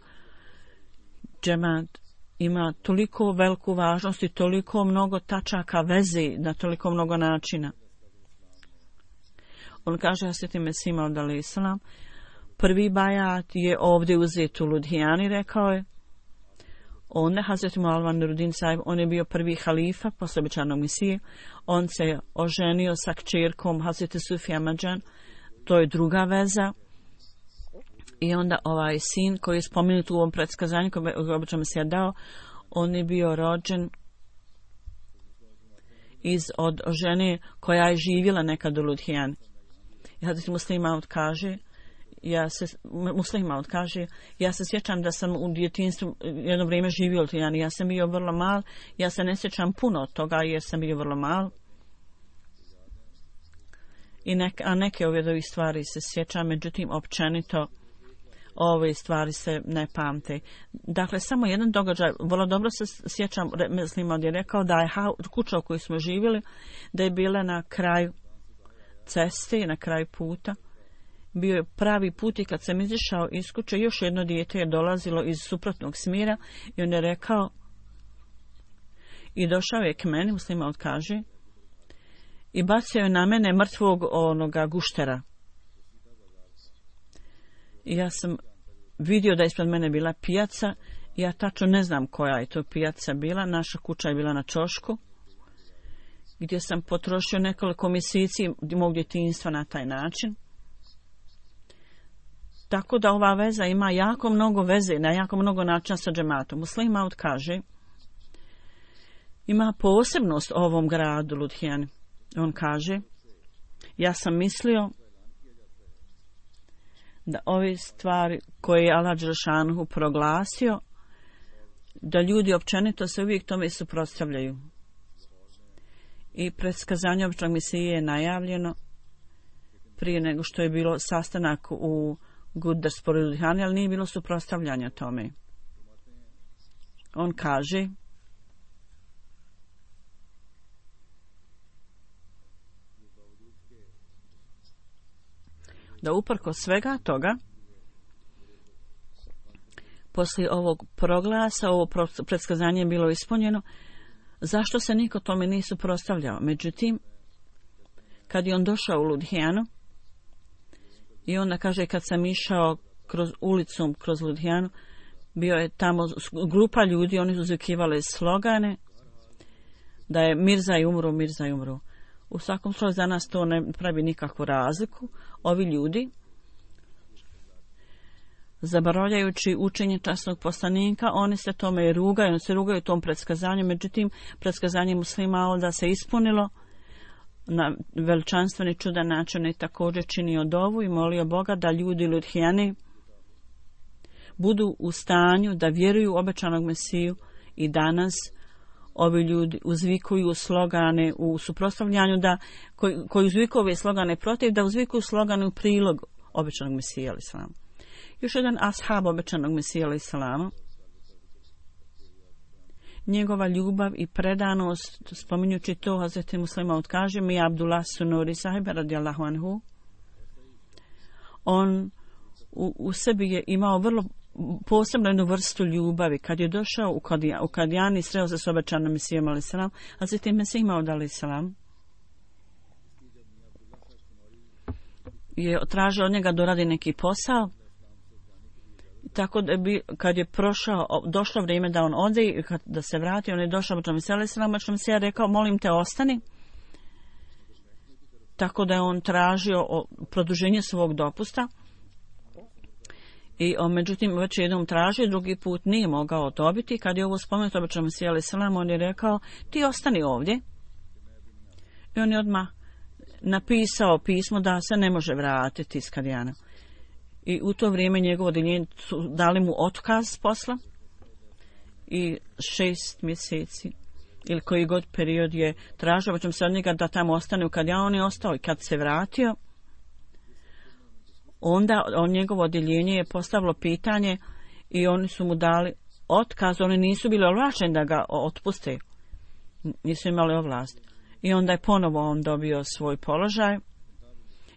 Džemat ima toliko veliku važnost i toliko mnogo tačaka veze na toliko mnogo načina. On kaže Hazreti Mesih Maud alejhi selam, prvi bajat je ovdje uzet u Ludhijani, rekao je. Onda Hazreti Maulana Nuruddin Sahib, on je bio prvi halifa posle obećanog Mesije. On se oženio sa kćerkom Hazreti Sufi Ahmadjan, to je druga veza. I onda ovaj sin koji je spomenut u ovom predskazanju koji je obećan Mesija dao, on je bio rođen iz od žene koja je živjela nekad u Ludhijani. I Hazreti Muslim Maud kaže, ja se Muslim Maud kaže, ja se sjećam da sam u djetinjstvu jedno vrijeme živio u Ludhijani. Ja sam bio vrlo mal, ja se ne sjećam puno od toga jer sam bio vrlo mal. I neke, a neke ove ovih stvari se sjećam, međutim općenito ove stvari se ne pamte. Dakle, samo jedan događaj, vrlo dobro se sjećam, mislim, on je rekao da je kuća u kojoj smo živjeli, da je bila na kraju ceste, na kraju puta. Bio je pravi put i kad sam izišao iz kuće, još jedno dijete je dolazilo iz suprotnog smjera i on je rekao i došao je k meni, Muslim Maud kaže, i bacio je na mene mrtvog onoga guštera. I ja sam vidio da ispred mene bila pijaca, ja tačno ne znam koja je to pijaca bila, naša kuća je bila na ćošku, gdje sam potrošio nekoliko mjeseci mog djetinjstva na taj način. Tako da ova veza ima jako mnogo veze, na jako mnogo načina sa džematom. Muslim Maud kaže, ima posebnost ovom gradu Ludhijani. On kaže, ja sam mislio da ove stvari koje je Allah Đelešanohu proglasio, da ljudi općenito se uvijek tome suprotstavljaju. I predskazanje običnog Mesije je najavljeno prije nego što je bilo sastanak u Gurdaspuru Ludhijani, ali nije bilo suprotstavljanja tome. On kaže, da uprkos svega toga, poslije ovog proglasa, ovo predskazanje je bilo ispunjeno, zašto se niko tome nije suprotstavljao? Međutim, kad je on došao u Ludhijanu, i onda kaže, kad sam išao kroz ulicom, kroz Ludhijanu, bio je tamo grupa ljudi, oni su zvikivali slogane, da je Mirza i umru, Mirza i umru. U svakom slučaju za nas to ne pravi nikakvu razliku. Ovi ljudi, zaboravljajući učenje časnog poslanika, oni se tome rugaju, oni se rugaju tom predskazanju, međutim, predskazanje Muslima da se ispunilo na veličanstveni čudan način i također činio dovu i molio Boga da ljudi Ludhijani budu u stanju da vjeruju u obećanog Mesiju i danas ovi ljudi uzvikuju slogane u suprotstavljanju da koji, koji uzvikuju ove slogane protiv, da uzvikuju slogane u prilog obećanog Mesija alejhi selam. Još jedan ashab obećanog Mesija alejhi selam, njegova ljubav i predanost, spominjući to, Hazreti Muslim Maud kaže, mi Abdullah Sunuri sahib radijallahu anhu, on u, u sebi je imao vrlo posebno jednu vrstu ljubavi. Kad je došao u Kadijani, sreo se s obećanom Mesijom alejhi selam, Hazreti Mesih Maud alejhi selam je tražio od njega da radi neki posao. Tako da bi, kad je prošao, došlo vrijeme da on ode i kad, da se vrati, on je došao u Džami Sele Selama, što mi se je rekao, molim te ostani. Tako da je on tražio produženje svog dopusta. I on, međutim, već jednom tražio, drugi put nije mogao dobiti. Kad je ovo spomenuto u Džami Sele Selama, on je rekao, ti ostani ovdje. I on je odmah napisao pismo da se ne može vratiti iz Kadijana. I u to vrijeme njegovo odjeljenje su dali mu otkaz s posla i šest mjeseci ili koji god period je tražio, ćemo se od njega da tamo ostane, kad ja on je ostao i kad se vratio, onda on njegovo odjeljenje je postavilo pitanje i oni su mu dali otkaz, oni nisu bili ovlašteni da ga otpuste, nisu imali ovlast. I onda je ponovo on dobio svoj položaj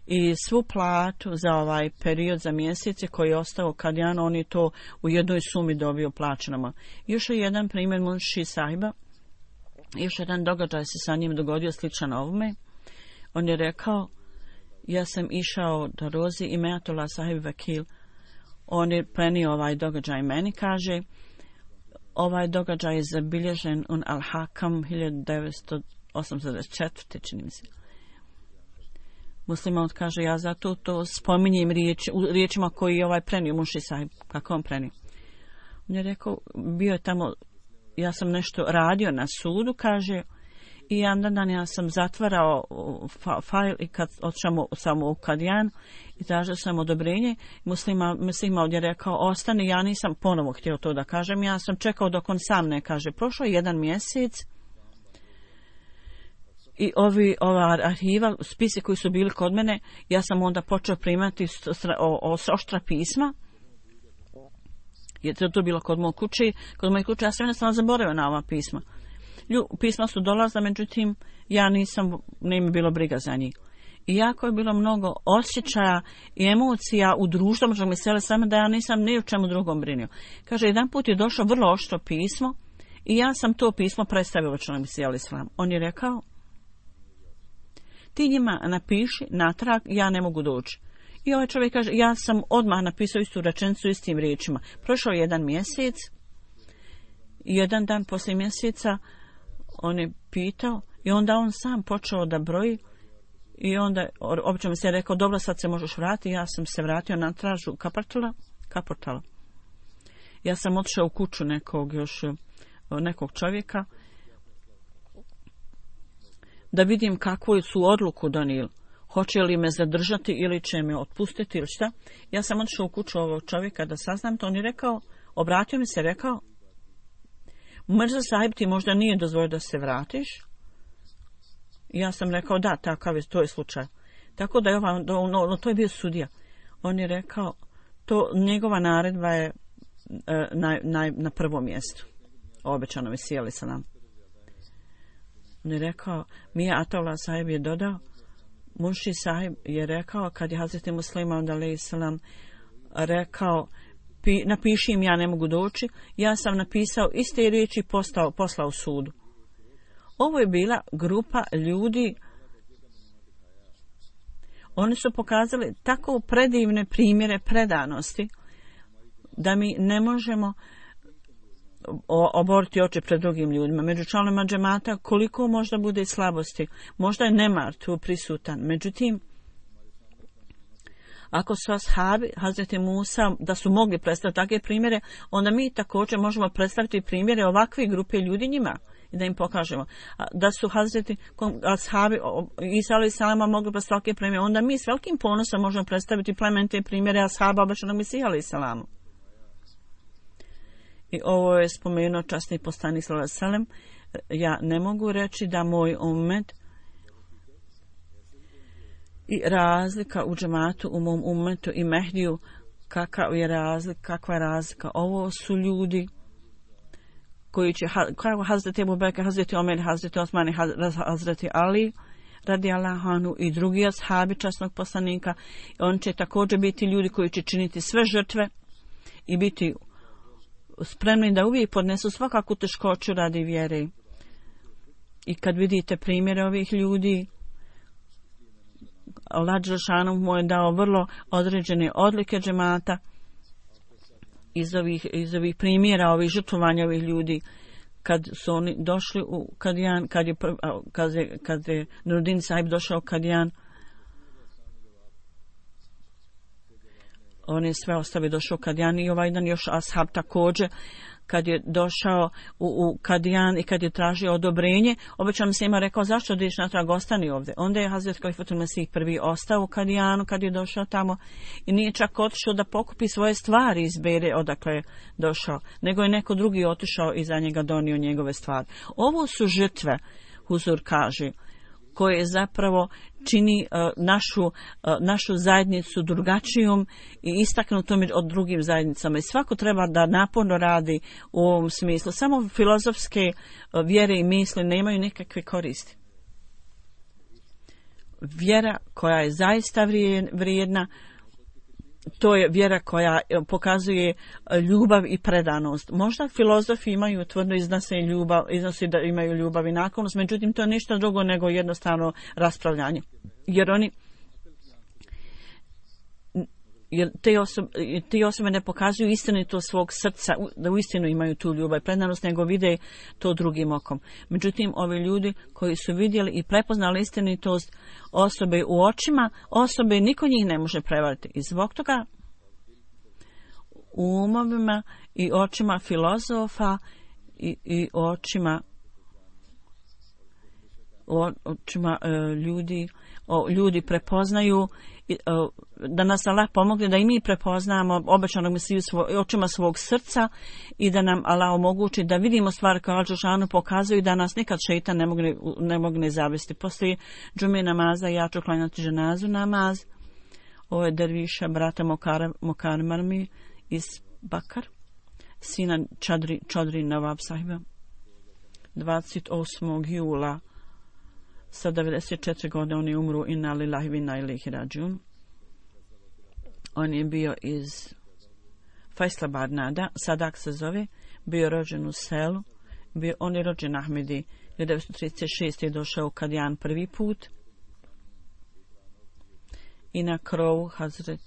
i svu platu za ovaj period, za mjesece koji je ostao Kadijanu, on je to u jednoj sumi dobio plaćenama. Još je jedan primjer Munši Sahiba, još jedan događaj se sa njim dogodio sličan ovome. On je rekao, ja sam išao do Rozi i Meatullah Sahib Vakil, on je prenio ovaj događaj meni, kaže, ovaj događaj je zabilježen un Al-Hakam hiljadu devetsto osamdeset četvrte čini mi se. Musliman kaže, ja zato to spominjem riječ, u riječima koji je ovaj prenio Munši Sahib, kako on prenio. On je rekao, bio je tamo, ja sam nešto radio na sudu, kaže, i jedan dan ja sam zatvarao fa, fajl i kad otišao samo u Kadijan i tražio sam odobrenje, muslima, muslima ovdje rekao, ostani, ja nisam ponovo htio to da kažem, ja sam čekao dok on sam ne kaže. Prošlo je jedan mjesec, i ovi, ova arhiva, spisi koji su bili kod mene, ja sam onda počeo primati o, o, oštra pisma. Je to, to bilo kod moje kuće. Kod moje kuće ja sam jednostavno zaboravio na ova pisma. Lju, pisma su dolazla, međutim, ja nisam, ne mi bilo briga za njih. I jako je bilo mnogo osjećaja i emocija u društvu, možda mi sele same da ja nisam ni u čemu drugom brinio. Kaže, jedan put je došlo vrlo oštro pismo i ja sam to pismo predstavio u članu Misijal Islam. On je rekao, ti njima napiši natrag, ja ne mogu doći. I ovaj čovjek kaže, ja sam odmah napisao istu rečenicu istim riječima. Prošao je jedan mjesec, jedan dan poslije mjeseca on je pitao i onda on sam počeo da broji i onda obično mi se je rekao, dobro, sad se možeš vratiti. Ja sam se vratio na tražu Kaportala, Kaportala. Ja sam otišao u kuću nekog još nekog čovjeka da vidim kakvu su odluku donijeli. Hoće li me zadržati ili će me otpustiti ili šta. Ja sam otišao u kuću ovog čovjeka da saznam to. On je rekao, obratio mi se, rekao, Mirza Sahib ti možda nije dozvolio da se vratiš. Ja sam rekao, da, takav je, to je slučaj. Tako da je ova, no, no, to je bio sudija. On je rekao, to njegova naredba je e, na, na, na prvom mjestu. Obećano mi sjeli sa nam. On je rekao, Mija Atullah Sahib je dodao, Munši Sahib je rekao, kad je Hazreti Muslimaud alejhi selam rekao, pi, napiši im, ja ne mogu doći, ja sam napisao iste riječi postao, poslao sudu. Ovo je bila grupa ljudi, oni su pokazali tako predivne primjere predanosti, da mi ne možemo oboriti oči pred drugim ljudima. Među članovima džemata koliko možda bude slabosti, možda je nemar tu prisutan. Međutim, ako su ashabi Hazreti Musa da su mogli predstaviti takve primjere, onda mi također možemo predstaviti primjere ovakve grupe ljudi njima i da im pokažemo. Da su Hazreti ashabi Isa alejhi selama mogli predstaviti takve primjere, onda mi s velikim ponosom možemo predstaviti plemenite primjere ashaba obećanog Mesija alejhi selama. I ovo je spomenuo časni poslanik sallallahu alejhi ve sellem. Ja ne mogu reći da moj ummet i razlika u džematu, u mom ummetu i Mehdiju, kakva je razlika, kakva je razlika. Ovo su ljudi koji će, kao Hazreti Ebu Bekr, Hazreti Omer, Hazreti Osman i Hazreti Ali, radijallahu anhu, i drugi ashabi časnog poslanika. On će također biti ljudi koji će činiti sve žrtve i biti spremni da uvijek podnesu svakakvu teškoću radi vjere. I kad vidite primjere ovih ljudi, Allah dželešanu mu je dao vrlo određene odlike džemata iz ovih, iz ovih primjera, ovih žrtvovanja ovih ljudi. Kad su oni došli u Kadijan, kad je, kad je, kad je Nuruddin Sahib došao u Kadijan, on je sve ostavio, došao u Kadijan i ovaj dan još ashab također, kad je došao u, u Kadijan i kad je tražio odobrenje, obećan se ima rekao zašto ideš natrag, ostani ovdje. Onda je Hazret Kalifatul Mesih prvi ostao u Kadijanu kad je došao tamo i nije čak otišao da pokupi svoje stvari iz Bere odakle je došao, nego je neko drugi otišao i za njega donio njegove stvari. Ovo su žrtve, Huzur kaže, koje zapravo čini uh, našu, uh, našu zajednicu drugačijom i istaknutom od drugim zajednicama. I svako treba da naporno radi u ovom smislu. Samo filozofske uh, vjere i misli nemaju nikakve koristi. Vjera koja je zaista vrijedna, to je vjera koja pokazuje ljubav i predanost. Možda filozofi imaju tvrdno iznose ljubav, iznose da imaju ljubav i naklonost, međutim to je ništa drugo nego jednostavno raspravljanje. Jer oni jer te osobe, te osobe ne pokazuju istinito svog srca, da uistinu imaju tu ljubav i predanost, nego vide to drugim okom. Međutim, ovi ljudi koji su vidjeli i prepoznali istinitost osobe u očima, osobe niko njih ne može prevariti. I zbog toga u umovima i očima filozofa i, i očima očima e, ljudi o, ljudi prepoznaju i, o, da nas Allah pomogne da i mi prepoznamo obećanog Mesiju svo, očima svog srca i da nam Allah omogući da vidimo stvari koje Allah dželešanu pokazuju, da nas nikad šejtan ne mogne, ne mogne zavesti. Poslije džume namaza ja ću klanjati ženazu namaz. Ovo je derviša brata Mokar Marmi iz Bakar, sina Čadri, Čadri Nawab sahiba, dvadeset osmog jula sa devedeset četiri godine on je umru, inna lillahi wa inna ilaihi rađiun. On je bio iz Faisalabad Nada, Sadak se zove, bio rođen u selu, bio, on je rođen Ahmedi, hiljadu devetsto trideset šeste je došao u Kadijan prvi put i na krovu Hazreti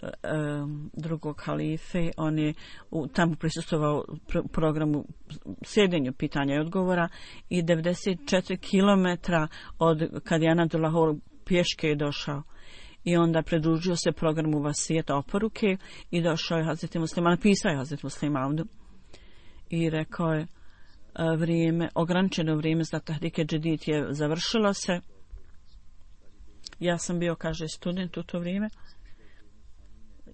Um, drugog halife, on je u, tamo prisustvovao pr- programu sjedenju pitanja i odgovora i devedeset četiri kilometra od Kadijana do Lahore pješke je došao i onda pridružio se programu vasijeta oporuke i došao je Hazreti Muslima, napisao je Hazreti Muslima i rekao je vrijeme, ograničeno vrijeme za Tahrike Džedid je završilo se. Ja sam bio, kaže, student u to vrijeme.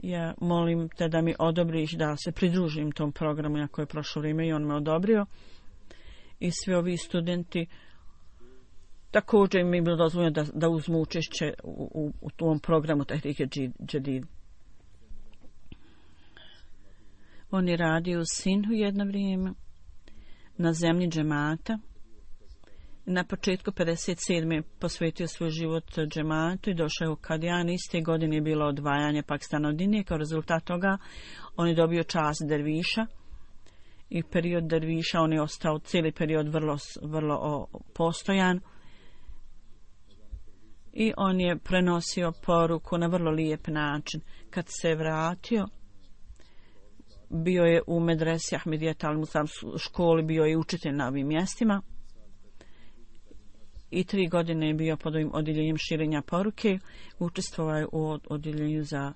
Ja molim te da mi odobriš da se pridružim tom programu ako je prošlo vrijeme i on me odobrio. I svi ovi studenti također mi je bilo dozvoljeno da, da uzmu učešće u, u, u tom programu Tahrike Džedid. On je radio u Sinhu jedno vrijeme na zemlji džemata. Na početku pedeset sedme posvetio svoj život džematu i došao je u Kadijan. Iste godine je bilo odvajanje Pakistana od Indije. Kao rezultat toga on je dobio čast derviša i period derviša on je ostao cijeli period vrlo, vrlo o, postojan i on je prenosio poruku na vrlo lijep način. Kad se vratio, bio je u medresi Ahmedijeta al-Musam školi, bio je učitelj na ovim mjestima. I tri godine je bio pod ovim odjeljenjem širenja poruke. Učestvovao je u odjeljenju za...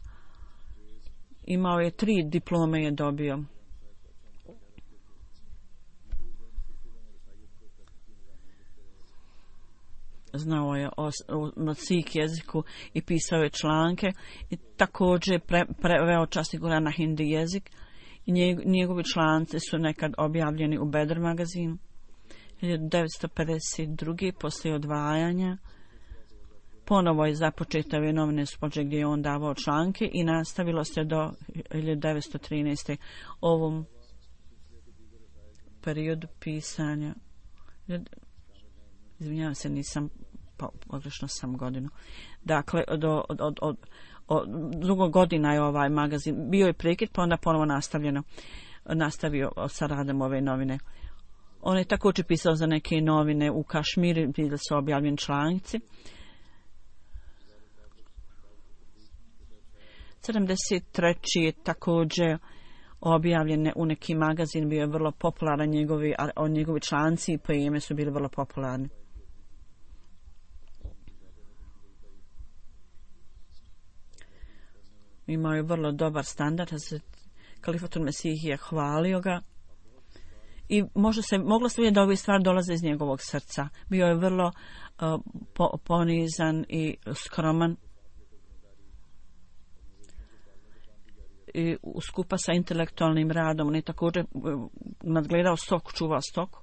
Imao je tri diplome je dobio. Znao je o, o, o Sikh jeziku i pisao je članke. I također pre, preveo časni Kuran na hindi jezik. I njeg, njegovi članci su nekad objavljeni u Bedr magazinu. hiljadu devetsto pedeset druge poslije odvajanja ponovo je započeta ove novine spođe gdje je on davao članke i nastavilo se do hiljadu devetsto trinaeste ovom periodu pisanja. Izvinjavam se, nisam pogrešno sam godinu. Dakle, do, od, od, od, od drugog godina je ovaj magazin. Bio je prekid, pa onda ponovo nastavljeno. Nastavio sa radom ove novine. On je također pisao za neke novine u Kašmiru, gdje su objavljeni članci. sedamdeset treći je također objavljen u neki magazin, bio je vrlo popularan, njegovi, a njegovi članci i poeme su bili vrlo popularni. Imao je vrlo dobar standard, Kalifatul Mesih je hvalio ga i možda se, moglo se vidjeti da ove stvari dolaze iz njegovog srca. Bio je vrlo uh, po, ponizan i skroman i skupa sa intelektualnim radom. On je također nadgledao stoku, čuvao stoku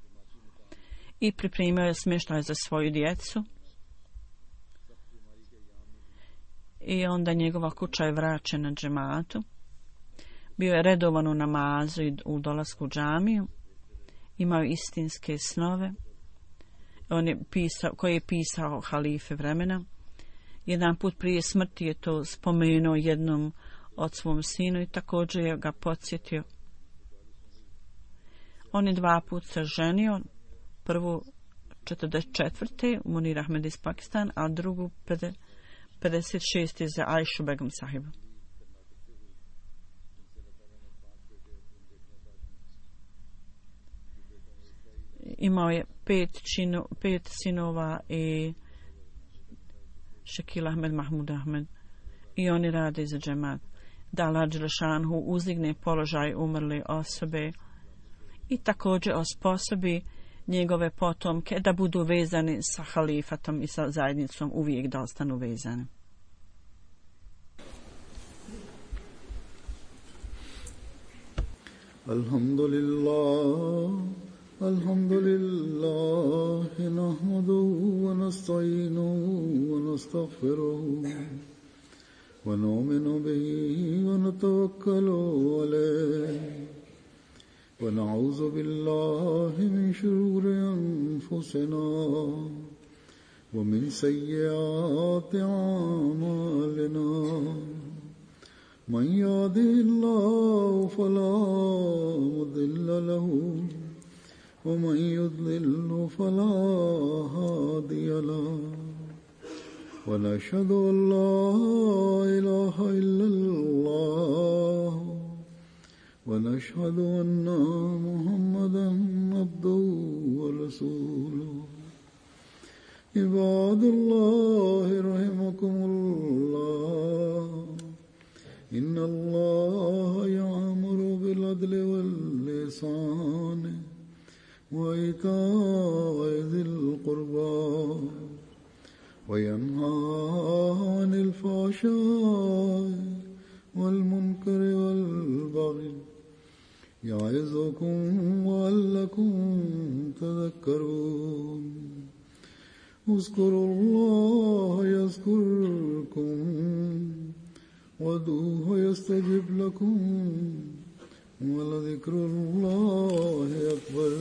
i pripremio je smještaj za svoju djecu. I onda njegova kuća je vraćena džematu. Bio je redovan u namazu i u dolasku u džamiju. Imao istinske snove. On je pisao, koji je pisao halife vremena. Jedan put prije smrti je to spomenuo jednom od svom sinu i također je ga podsjetio. On je dva put se ženio. Prvu četrdeset četvrte Munir Ahmed iz Pakistan, a drugu pedeset šeste za Aishu Begum sahibu. Imao je pet, čino, pet sinova i Shakil Ahmed, Mahmud Ahmed i oni rade za džemat. Da Allah Đelešanhu uzdigne položaj umrle osobe i također osposobi njegove potomke da budu vezani sa halifatom i sa zajednicom, uvijek da ostanu vezani. Alhamdulillah, alhamdulillah, nahmaduhu wa nasta'inuhu wa nastaghfiruhu wa nu'minu bihi wa natawakkalu alayhi. ونعوذ بالله من شرور أنفسنا ومن سيئات أعمالنا من يهده الله فلا مضل له ومن يضلل فلا هادي له ونشهد أن لا إله إلا الله ونشهد أن محمدا عبده ورسوله عباد الله رحمكم الله إن الله يأمر بالعدل والإحسان وإيتاء ذي القربى وينهى عن الفحشاء والمنكر والبغي يعظكم لعلكم تذكرون اذكروا الله يذكركم وادعوه يستجب لكم ولذكر الله أكبر.